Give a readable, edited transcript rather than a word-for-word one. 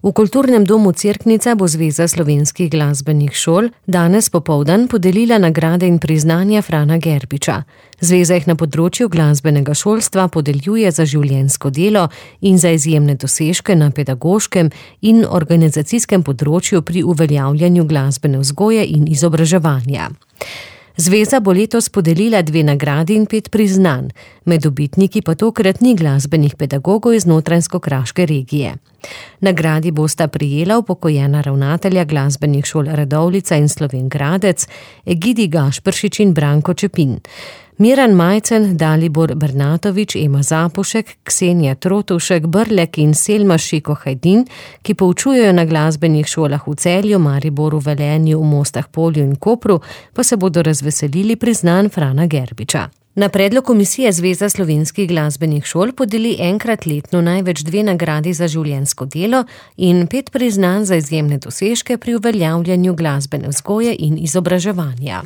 V Kulturnem domu Cerknica bo Zveza slovenskih glasbenih šol danes popoldan podelila nagrade in priznanja Frana Gerbiča. Zveza jih na področju glasbenega šolstva podeljuje za življenjsko delo in za izjemne dosežke na pedagoškem in organizacijskem področju pri uveljavljanju glasbene vzgoje in izobraževanja. Zveza bo letos podelila 2 nagradi in 5 priznanj, med dobitniki pa tokrat ni glasbenih pedagogov iz Notranjsko-kraške regije. Nagradi bosta prejela upokojena ravnatelja glasbenih šol Radovljica in Slovenj Gradec, Egidi Gašperšič in Branko Čepin. Miran Majcen, Dalibor Bernatovič, Ema Zapušek, Ksenija Trotovšek, Brlek in Selma Šiko Hajdin, ki poučujejo na glasbenih šolah v Celju, Mariboru, Velenju, v Mostah Polju in Kopru, pa se bodo razveselili priznanj Frana Gerbiča. Na predlog komisije Zveza slovenskih glasbenih šol podeli enkrat letno največ 2 nagradi za življenjsko delo in 5 priznanj za izjemne dosežke pri uveljavljanju glasbene vzgoje in izobraževanja.